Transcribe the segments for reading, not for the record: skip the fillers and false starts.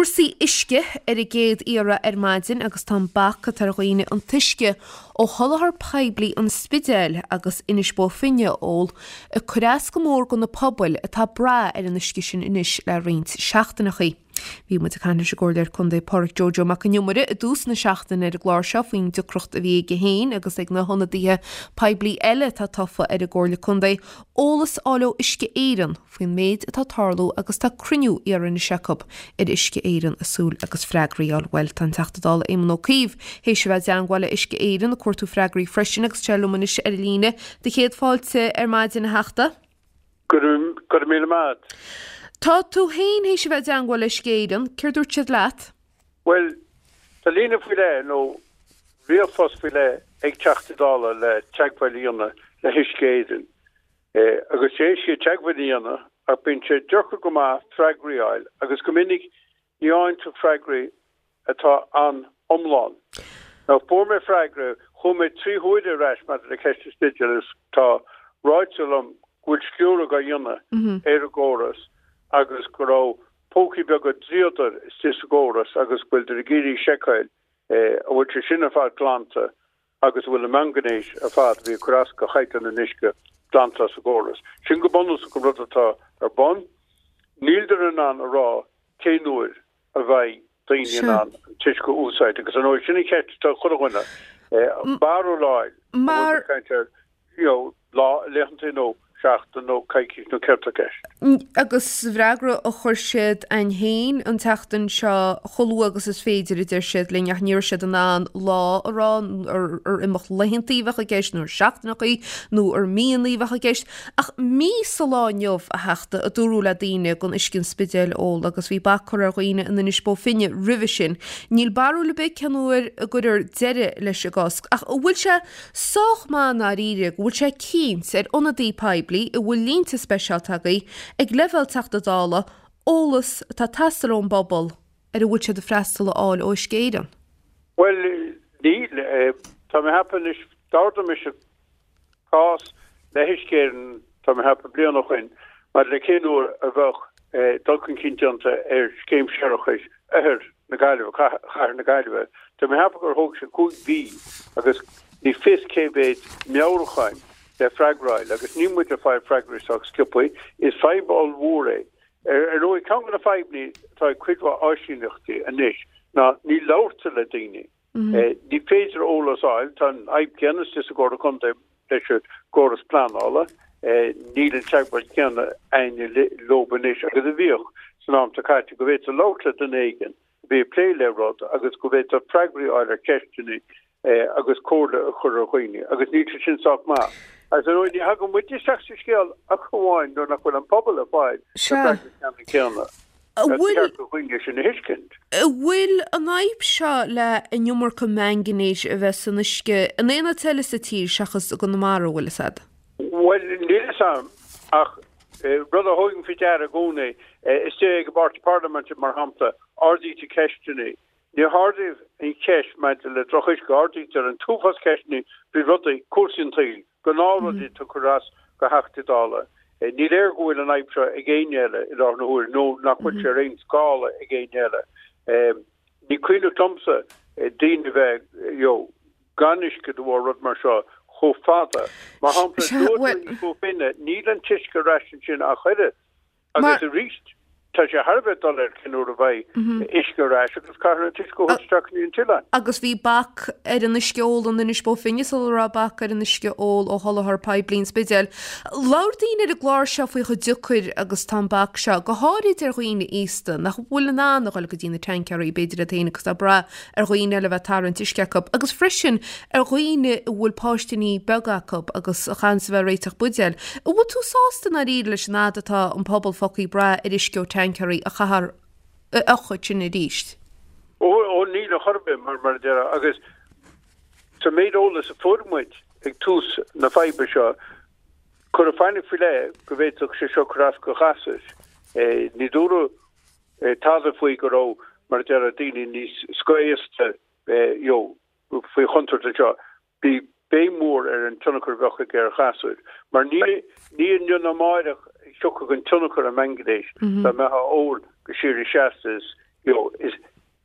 Cúrsaí uisce ar an gcéad iarraidh ar maidin agus tá an bac atá ar dhaoine an t-uisce ó sholáthar poiblí an Spidéil agus Inis Bó Finne a ól ag cur as go mór do na pobail atá ag brath ar an uisce sin anois le roinnt seachtaineachaí. Bhí muid ag caint leis an gComhairleoir Contae Pádraic Joe Joe Mac an Iomaire i dtús na seachtaine ar an gclár seo faoin deacracht a bhí aige féin agus ag na hionadaithe poiblí eile atá tofa ar an gComhairle Contae eolas a fháil ó Uisce Éireann faoin méid atá ag tarlú agus tá cruinniú iarrtha anois acu ar Uisce Éireann ag súil agus freagraí a fháil. Bhuel, tá an Teachta Dála Éamon Ó Cuív théis a bheith i dteangmháil le Uisce Éireann ag cuartú freagraí freisin agus tá sé liom anois ar an líne. Do chéad fáilte ar maidin a Theachta. Go raibh míle maith a't. Tá tú féin théis a bheith i dteangmháil le Uisce Éireann, céard dúirt siad leat? Bhuel, tá líne faoi leith nó ríomhphost faoi leith ag Teachtaí Dála le teagmháil a dhéanamh le hUisce Éireann. Agus is éasca teagmháil a dhéanamh ach bíonn sé deacair go maith freagraí a fháil agus go minic ní fhaigheann tú freagraí atá an-iomlán. Now fuair mé freagra, chuaigh mé 3 huaire ar ais maidir le ceist an Spidéil agus tá ráite liom go bhfuil sciúradh á dhéanamh ar an gcóras agus go raibh púcaí beaga dríodair istigh sa gcóras agus go bhfuiltear ag iarraidh seiceáil an bhfuil sé sin ar fad glanta agus an bhfuil an mangainéis ar fad a bhí ag cur as do chaighdeán an uisce glanta as an gcóras. Sin go bunúsach an rud atá ar bun. Níltear in ann a rá cén uair a bheidh daoine in ann an t-uisce a úsáid agus ar ndóigh sin an cheist atá ag chuile dhuine. Barúil a fháil, an bhfuil muid ag caint ar you know, lá, laethanta nó seachtain nó coicís nó céard tá i gceist. Agus sa bhfreagra a chuir siad a'inn féin an tseachtain seo, chomh luath agus is féidir a deir siad linn ach ní raibh siad in ann lá a rá, ar imeacht laethantaí a bheadh i gceist nó ar seachtaineachaí nó ar míonnaí a bheadh i gceist. Ach mí sa lá inniu, a Theachta, a dúradh le daoine gan uisce an Spidéil a ól agus bhí bac curtha ar dhaoine in Inis Bó Finne roimhe sin. Níl barúil ar bith cén uair a gcuirfear deireadh leis an gcosc, ach an bhfuil sé sách maith i ndáiríre go bhfuil sé cinnte ar ionadaí poiblí a bhfuil línte speisialta agaibh ag leibhéal Teachta Dála eolas atá ag teastáil ón bpobal ar a bhfuil siad ag freastal a fháil ó Uisce Éireann? Bhuel, níl. Tá mé ag ceapadh anois, d'ardaigh mise cás le hUisce Éireann, tá mé ag ceapadh bliain ó shoin, maidir le cén uair a bheadh dul chun cinn déanta ar scéim séarachais oirthear na Gaillimhe, chathair na Gaillimhe. Tá mé ag ceapadh gur thóg sé 5 mhí agus ní fios cé mhéad meabhrúcháin le freagra a fháil agus níl muid ag fáil freagraí sách sciobtha. Is fadhb ollmhór é. Ar ndóigh, ceann de na fadhbanna atá ag cuid mhaith áisíneachtaí anois ná ní labhartar le daoine. Ní féidir eolas a fháil, tá an fhadhb chéanna istigh sa gComhairle Contae leis an gcóras pleanála, níl an teagmháil chéanna againne leob anois agus a bhíodh san am atá caite, go bhféadfá labhairt le duine éigin a bhí ag plé le rud agus go bhféadfá freagraí a fháil ar cheisteanna agus comhairle a chur ar dhaoine, agus níl sé sin sách maith. Agus ar ndóigh ní thagann muid isteach sa scéal ach amháin nuair nach bhfuil an pobal ag fáil na freagraí ceannann céanna. An bhfuil. Ba cheart do dhaoine sin a thuiscint. An bhfuil an fhadhb seo le an iomarca mangainéis a bheith san uisce in aon áit eile sa tír seachas i gConamara, an bhfuil fhios a'd? Bhuel, níl fhios a'm, ach rud a thugaim faoi deara i gcónaí, istigh ag an bpáirtí parlaiminte, mar shampla, ardaítear ceisteanna. Ní hardaíodh an cheist maidir le drochuisce, ardaítear an t-uafás ceisteanna faoi rudaí, cúrsaí an tsaoil. Gnáthrudaí atá ag cur as do Theachtaí Dála. Ní léir go bhfuil an fhadhb seo ag éinne eile i láthair na huaire nó nach bhfuil sé ar aon scála ag éinne eile. Ní cuimhneach liomsa daoine a bheith you know gan uisce de bharr rud mar seo chomh fada. Mar shampla, luaigh tú Inis Bó Finne, níl an t-uisce ar ais ansin ach oiread. Agus arís, tá sé thar a bheith doiléir cén uair a bheidh uisce ar ais agus caithfear an t-uisce a thabhairt isteach go dtí an t-oileán. Agus bhí bac ar an uisce óil in Inis Bó Finne sula raibh bac ar an uisce óil ó sholáthar poiblí an Spidéil. Labhair daoine ar an gclár seo faoi chomh deacair agus tá an bac seo, go háirid ar dhaoine aosta nach bhfuil in ann a dhul go dtí na tancaeirí, b'fhéidir iad féin agus atá ag brath ar dhaoine eile a bheith ag tarraingt uisce acu, agus freisin ar dhaoine a bhfuil páistíní beaga acu agus a chaitheanns a bheith ag réiteach buidéil. An bhfuil tú sásta i ndáiríre leis an fhad atá an pobal fágtha ag brath ar uisce ó tancaeirí a chaithfear a fhiuchadh ansin arís? Ó, ó, níl ar chor ar bith, mar, mar a déarfá, agus sa méid eolais a fuair muid ag tús na faidhbe seo, cuireadh fainic faoi leith go bhféadfadh sé seo cur as do ghasúir. Ní dúradh tada faoi go raibh, mar a déarfá, daoine níos scothaosta you know faoi chontúirt anseo. Bhí béim mhór ar an tionchar a bheadh aige ar ghasúir, mar ní ní inniu ná amáireach a thiocfadh an tionchar an mhaingainéis dá mbeifeá á ól go síoraí seasta is. you know, is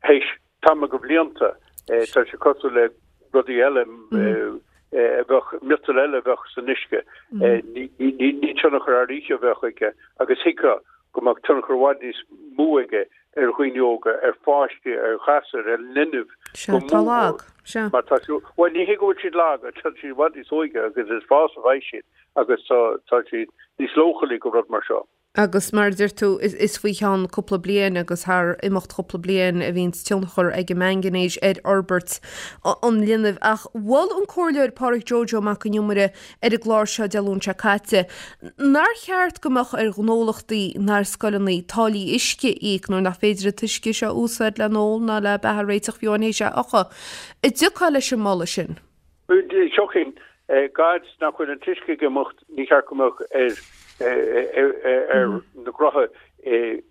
théis tamall de bhlianta, tá sé cosúil le rudaí eile a bheadh, miotal eile a bheadh san uisce, ní tionchar thar oíche a bheadh aige agus thuigfeá go mbeadh tionchar i bhfad níos mó aige ar dhaoine óga, ar pháistí, ar ghasúir, ar linbh go mór mór. Mar tá siad, bhuel ní hé go bhfuil siad lag, tá siad i bhfad níos óige agus is fás a bheidh siad agus tá siad níos leochailí go rud mar seo. Agus mar a deir tú, is faoi cheann cúpla bliain agus thar imeacht chúpla bliain a bhíonns tionchar ag an mangainéis ar fhorbairt an linbh. Ach mhol an Comhairleoir Pádraig Joe Joe Mac an Iomaire ar an gclár seo Dé Luain seo caite nár cheart go mbeadh ar ghnólachtaí ná ar scoileanna táillí uisce a íoc nuair nach féidir an t-uisce seo a úsáid le n-ól ná le beatha a réiteach fiú amháin théis é a fhiuchadh. An dtiocfá leis an moladh sin? Thiocfainn. Gad nach bhfuil an t-uisce ag imeacht, ní cheart go mbeadh ar ar na gnóthaí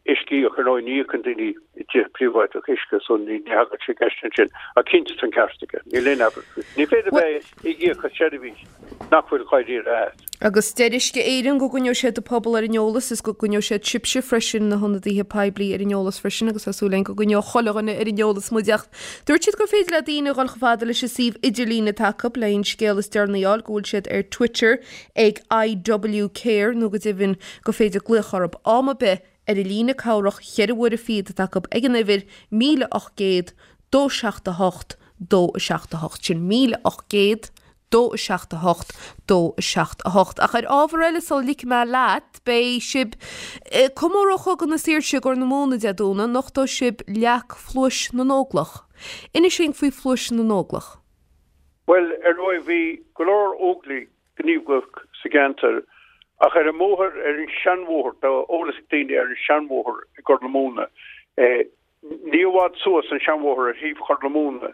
uisce a íoc. Ar ndóigh, ní íocann daoine i dtithe príobháideach uisce, so ní thagann sé i gceist ansin. Ach cinnte tá an ceart aige. Níl aon abairt faoi. Ní féidir bheith ag íoc as seirbhís nach bhfuil dháiríre agat. Agus deir Uisce Éireann go gcoinneoidh siad an pobal ar an eolas is go gcoinneoidh siad sibhse freisin, na hionadaithe poiblí, ar an eolas freisin agus tá súil againn go gcoinneoidh chuile dhuine ar an eolas muid ach dúirt siad gur féidir le daoine a dhul chomh fada leis an suíomh idirlín atá acu le an scéal is deireanaí a fháil, go bhfuil siad ar Twitter ag IW Care nó go deimhin gur féidir glaoch orthu am ar bith ar an líne cabhrach cheithre huaire fichead atá acu ag an uimhir 1800 278 278. Sin 1800. 2 7 8 2 7 8. Ach ar ábhar eile sula ligfidh mé leat, beidh sibh ag comóradh Chogadh na Saoirse i gCorr na Móna Dé Domhnaigh, nochtóidh sibh leac Phluais na nÓglach. Inis dúinn faoi Phluais na nÓglach. Bhuel, ar ndóigh, bhí go leor Óglaigh gníomhach sa gceantar, ach ar an mbóthar, ar an seanbhóthar, tá eolas ag daoine ar an seanbhóthar i gCorr na Móna, Ní i bhfad suas an seanbhóthar ar thaobh Chorr na Móna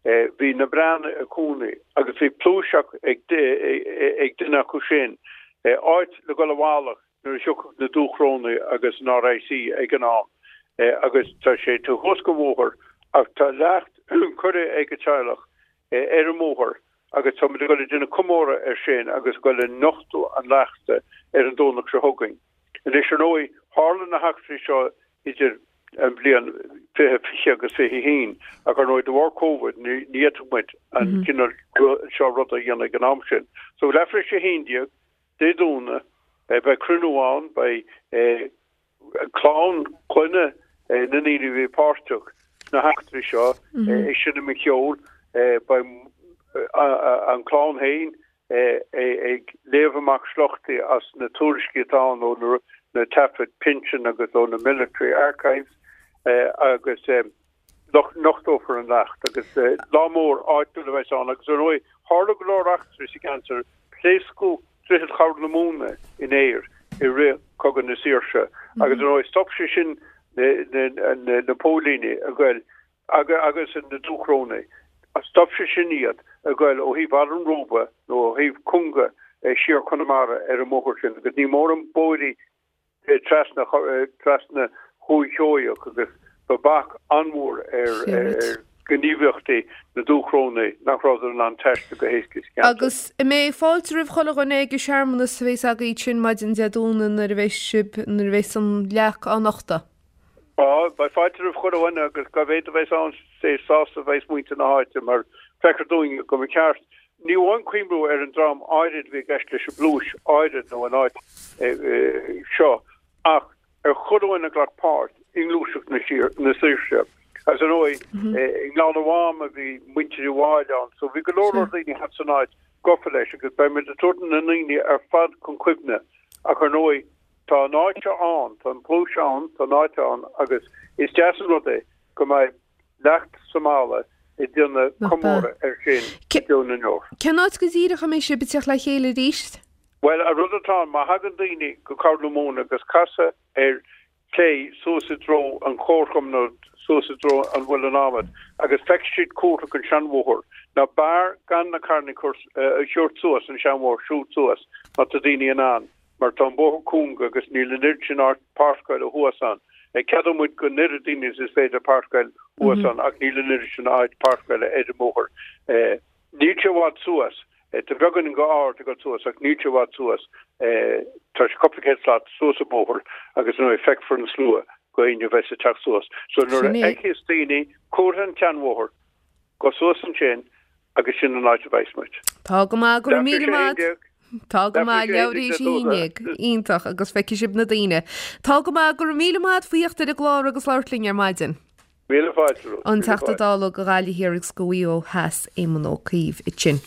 bhí na Breathnaigh ag cónaí agus bhí pluais ag duine acu sin, áit le dhul i bhfalach nuair a thiocfadh na Dúchrónaigh agus an RIC ag an am agus tá sé taobh thuas den bhóthar ach tá leacht curtha ag an teaghlach ar an mbóthar agus tá muid ag dul ag déanamh comóradh air sin agus ag dul ag nochtadh an leachta ar an Domhnach seo chugainn. Anois ar ndóigh tharla na heachtraí seo idir an bhliain 2020 agus 21 ach ar ndóigh de bharr Covid ní fhéadfadh muid an cineál seo ruda a dhéanamh ag an am sin. So leathuair tar éis a 11 Dé Domhnaigh beidh cruinniú ann, beidh clann, clainne na ndaoine a bhí páirteach sna heachtraí seo ag seinm an cheoil, beidh an chlann féin ag léamh amach sliochtaí as na tuairiscí atá ann ó na taifid pinsin agus ó na military archives agus nochtófar an leacht agus lá mór áitiúil a bheas ann agus ar ndóigh tharla go leor eachtraí sa gceantar, pléascadh Droichead Chorr na Móna in aer i rith Cogadh na Saoirse agus ar ndóigh stop sé sin na póilíní a ghoil agus na Dúchrónaigh, stop sé sin iad ag goil ó thaobh Bhaile an Róba nó ó thaobh Cunga siar Conamara ar an mbóthar sin agus ní mórán bóithrí trasna trasna Dhúiche Sheoigheach agus ba bhac an-mhór ar ghníomhaíochtaí na Dúchrónaigh nach rabhadar in ann taisteal go héasca sa cheantar. Agus an mbeidh fáilte roimh chuile dhuine ag an searmanas a bheas agaibh sin maidin Dé Domhnaigh nuair a bheas sibh, nuair a bheas an leac á nochtadh? Á, beidh fáilte roimh chuile dhuine agus cá mhéad a bheas ann is sásta a bheas muintir na háite mar feictear dúinn go mba cheart ní amháin cuimhniú ar an dream áirid a bhí i gceist leis an bpluais áirid nó an áit seo ach ar chuile dhuine a ghlac páirt i ngluaiseacht na saoirse. Agus ar ndóigh, i nGleann an Mhám a bhí muintir Uí Mháille ann so bhí go leor leor daoine thart san áit gafa leis agus beidh muid ag tabhairt na ndaoine ar fad chun cuimhne ach ar ndóigh Tá an áit seo ann, tá an phluais ann, tá an áit ann agus is deas an rud é go mbeidh leacht sa mballa ag déanamh comóradh air sin i dTír na nDeor. Cén áit go díreach a mbeidh sibh ag teacht le chéile arís? Bhuel, an rud atá ann, má thagann daoine go Corr na Móna agus casadh ar clé suas i dtreo an chomharchumainn nó suas i dtreo an Mhuileann Adhmad agus feicfidh siad comhartha den seanbhóthar. Ná b'fhearr gan na carranna a thabhairt suas an seanbhóthar, siúl suas má tá daoine in ann. mar tá an bóthar cúng agus níl an oiread sin áit páirceála thuas ann. Ceadóidh muid don oiread daoine is is féidir páirceáil thuas ann ach níl an oiread sin áit páirceála ar an mbóthar. Níl sé i bhfad suas. Tá beagáinín go ard ag dul suas ach níl sé i bhfad suas. Tá sé cúpla céad slat suas an bóthar agus ar ndóigh feicfear an slua. Do éinne a bheas ag teacht suas. So nuair a fheicfeas daoine comhartha an tseanbhóthair, gabh suas ansin agus sin an áit a bheas muid. Tá go maith, go raibh míle maith. Tá go maith, leathuair tar éis a haon déag. Iontach, agus feicfidh sibh na daoine. Tá go maith, go raibh míle maith faoi theacht ar an gclár agus labhairt linn ar maidin. Míle fáilte romhat. An Teachta Dála do Ghaillimh Thiar agus do Mhaigh Eo Theas, Éamon Ó Cuív, ansin.